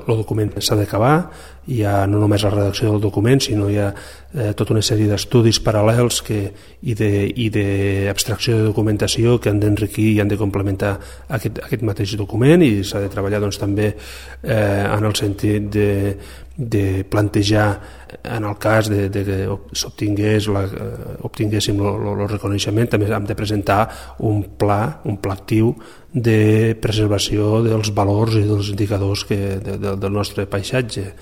el document s'ha d'acabar, hi ha no només la redacció del document, sinó hi ha tota una sèrie d'estudis paral·lels i d'abstracció de documentació que han d'enriquir i han de complementar aquest mateix document, i s'ha de treballar també en el sentit de plantejar, en el cas que obtinguéssim el reconeixement, també hem de presentar un pla actiu de preservació dels valors i dels indicadors del nostre paisatge.